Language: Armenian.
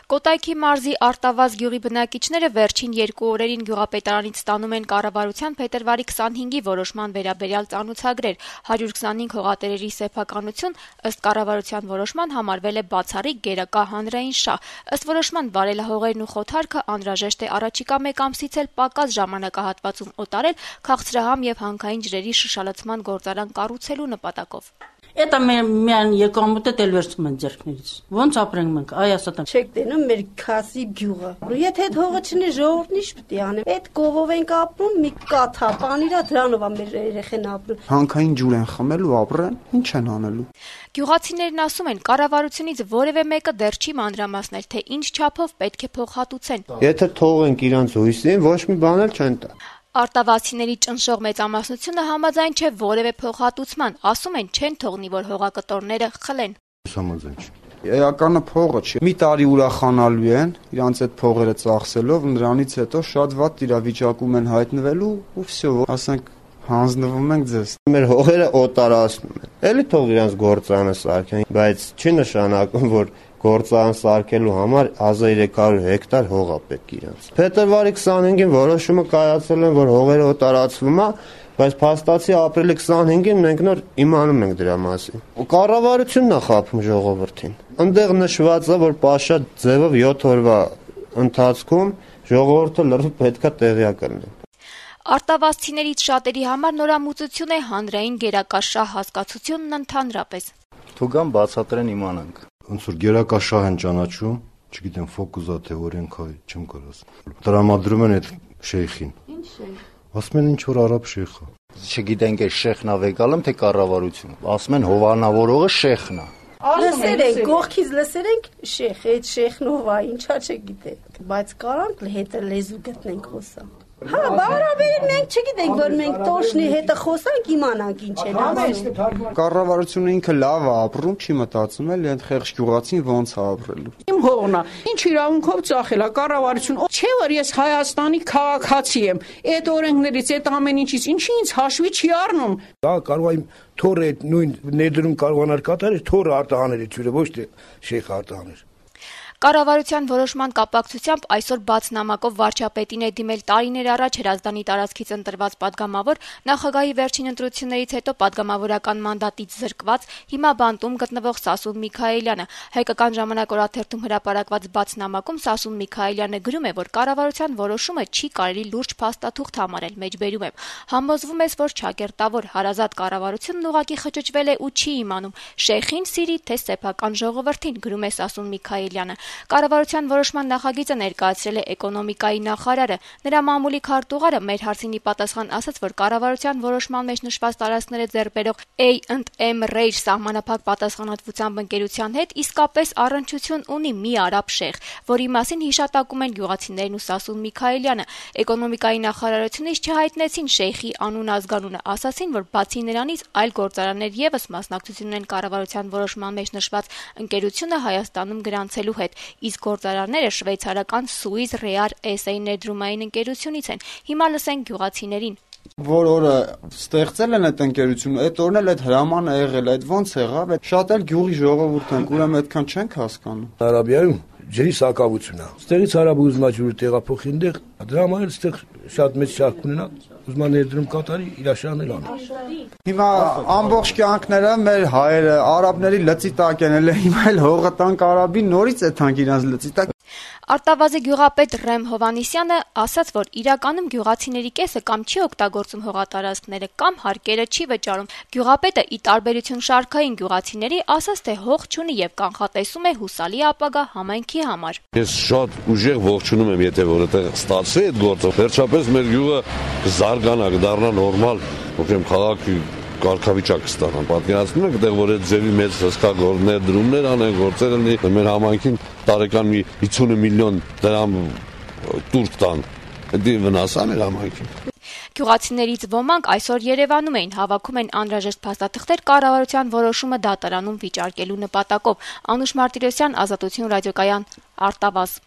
Կոտայքի մարզի Արտավազ գյուղի բնակիչները վերջին 2 օրերին գյուղապետարանից ստանում են կառավարության փետրվարի 25-ի որոշման վերաբերյալ ծանուցագրեր։ 125 հողատերերի սեփականություն ըստ կառավարության որոշման համարվել է բացառիկ գերակա հանրային շահ։ Ըստ որոշման վարելահողերն ու խոթարքը անհրաժեշտ է առաջիկա 1 ամսից էլ պակաս ժամանակահատվածում օտարել քաղցրահամ եւ հանքային ջրերի շշալցման գործարան կառուցելու նպատակով։ Это միան եկամուտը դել վերցում են ձեռքներից։ Ոնց ապրենք մենք, այ ասա։ Չեք տենում մեր քասի գյուղը։ Եթե այդ հողը չնի ժողովուրդն ինչ պետք է անեն։ Այդ կովով ենք ապրում, մի կաթա, պանիրա դրանով է մեր երեխեն ապրում։ Հանքային ջուր են խմելու, ապրեն, ինչ են անելու։ Գյուղացիներն ասում են, կառավարությունից որևէ մեկը դեռ չի մանրամասնել, թե ինչ չափով պետք է փոխհատուցեն։ Եթե թողենք իրանց հույսին, ոչ մի բան էլ չեն տա։ Արտավազցիների ճնշող մեծամասնությունը համաձայն չէ որևէ փոխհատուցման, ասում են չեն թողնի, որ հողակտորները խլեն։ Համաձայն չէ։ Էականը փողը չի։ Մի տարի ուրախանալու են, իրանց այդ փողերը ծախսելով, նրանից հետո շատ վատ իրավիճակում են հայտնվելու ու վсё, ասենք հանձնվում ենք ձեզ։ Մեր հողերը օտարացնում են։ Էլի թող իրանց գործանը սարքեն, բայց չի նշանակում, որ գործարան սարքելու համար 1300 հեկտար հող է պետք իրանց։ Փետրվարի 25-ին որոշումը կայացել են, որ հողերը օտարացվում է, բայց փաստացի ապրիլի 25-ին մենք նոր իմանում ենք դրա մասին։ Կառավարությունն է խաբում ժողովրդին։ Այնտեղ նշված է, որ պաշա ձևով 7 օրվա ընթացքում ժողովուրդը լրիվ պետքա տեղյակ լինի։ Արտավազցիներից շատերի համար նորամուծություն է հանրային գերակա շահ հասկացությունն ընդհանրապես։ Թուգան բացատրեն իմանանք։ Ոնց որ գերակա շահ են ճանաչում, չգիտեմ ֆոկուսա թե օրենքա, չեմ կարող։ Տրամադրում են այդ շեյխին։ Ինչ շեյխ։ Ասում են ինչ որ արաբ շեյխ է։ Չգիտենք է շեխն ա վեկալում թե կառավարություն։ Ասում են հովանավորողը շեխն է։ Լսեր ենք, կողքից լսեր ենք շեխ, այդ շեխն ով է, ինչա չգիտենք, բայց կարանք հետը լեզու գտնենք խոսանք։ Հա, բարաբերին մենք չգիտենք, որ մենք տոշնի հետը խոսանք, իմանանք ինչ են ասում։ Կառավարությունը ինքը լավ է ապրում, չի մտածում էլ այդ խեղճ գյուղացին ոնց է ապրելու։ Իմ հողն է, ինչ իրավունքով ծախել է կառավարություն։ Չէ՞ որ ես Հայաստանի քաղաքացի եմ։ Այդ օրենքներից, այդ ամեն ինչից ինչի ինձ հաշվի չի առնում։ Դա կարող է թորը նույն ներդրում կարողանալ կատարել, թորը արտահանել ցույցը, ոչ թե շեխ արտահանել։ Կառավարության որոշման կապակցությամբ այսօր բաց նամակով վարչապետին է դիմել տարիներ առաջ Հրազդանի տարածքից ընտրված падգամավոր, նախագահի վերջին ընտրություններից հետո падգամավորական մանդատից զրկված, հիմա բանտում գտնվող Սասուն Միքայելյանը։ Հայկական ժամանակ օրաթերթում հրապարակված բաց նամակում Սասուն Միքայելյանը գրում է, որ կառավարության որոշումը չի կարելի լուրջ փաստաթուղթ համարել, մեջբերում եմ։ Համոզվում ես, որ ճակերտավոր հարազատ կառավարությունն ուղղակի խճճվել է ու չի իմանում շեխին սիրի թե սեփական ժողովրդին, գրում է Սասուն Միքայելյանը։ Կառավարության որոշման նախագիծը ներկայացրել է էկոնոմիկայի նախարարը։ Նրա մամուլի քարտուղարը մեր հարցինի պատասխան ասաց, որ կառավարության որոշման մեջ նշված տարածքները ձեռբերող A&M Rail սահմանափակ պատասխանատվությամբ ընկերության հետ իսկապես առնչություն ունի մի արաբ շեխ, որի մասին հիշատակում են գյուղացիներն ու Սասուն Միքայելյանը։ Էկոնոմիկայի նախարարությունից չհայտնեցին շեխի անուն ազգանունը, ասացին, որ բացի նրանից այլ գործարաններ եւս մասնակցություն ունեն կառավարության որոշման մեջ նշված ընկերությունը Հայաստանում գրանցելու հետ։ Իսկ գործարանները շվեյցարական Swiss Real SA ներդրումային ընկերությունից են։ Հիմա լսենք գյուղացիներին։ Որ օրը ստեղծել են այդ ընկերությունը, այդ օրն էլ այդ հրամանը եղել, այդ ոնց եղավ, այդ շատ էլ գյուղի ժողովուրդ են, ուրեմն այդքան չենք հասկանում։ Արաբիայում ջրի սակավություն է։ Ստեղից արաբը ուզում է ջուրը տեղափոխի այնտեղ, դրա համար էլ ստեղ շատ մեծ շահ կունենա, ուզում է ներդրում կատարի, իր շահն էլ անի։ Հիմա ամբողջ կյանքները մեր հայերը արաբների լծի տակ են, հիմա էլ հողը տանք արաբին, նորից է թանք իրանց լծի տակ։ Արտավազի գյուղապետ Ռեմ Հովանիսյանը ասաց, որ իրականում գյուղացիների կեսը կամ չի օգտագործում հողատարածքները, կամ հարկերը չի վճարում։ Գյուղապետը ի տարբերություն շարքային գյուղացիների ասաց, թե հող չունի եւ կանխատեսում է հուսալի ապագա համայնքի համար։ Ես շատ ուժեղ ողջունում եմ, եթե որ այդտեղ ստացվի այդ գործը, վերջապես մեր գյուղը կզարգանա, կդառնա նորմալ, ոքեմ քաղաքի կարգավիճակ ստանան։ Պատկերացնում եք, այդտեղ որ այդ ձևի մեծ հսկա ներդրումներ անեն, գործեր լինի, մեր համայնքին տարեկան մի 50 միլիոն դրամ տուրք տան։ Դա վնաս է մեր համայնքին։ Գյուղացիներից ոմանք այսօր Երևանում էին, հավաքում են անհրաժեշտ փաստաթղթեր կառավարության որոշումը դատարանում վիճարկելու նպատակով։ Անուշ Մարտիրոսյան, Ազատություն ռադիոկայան, Արտավազ։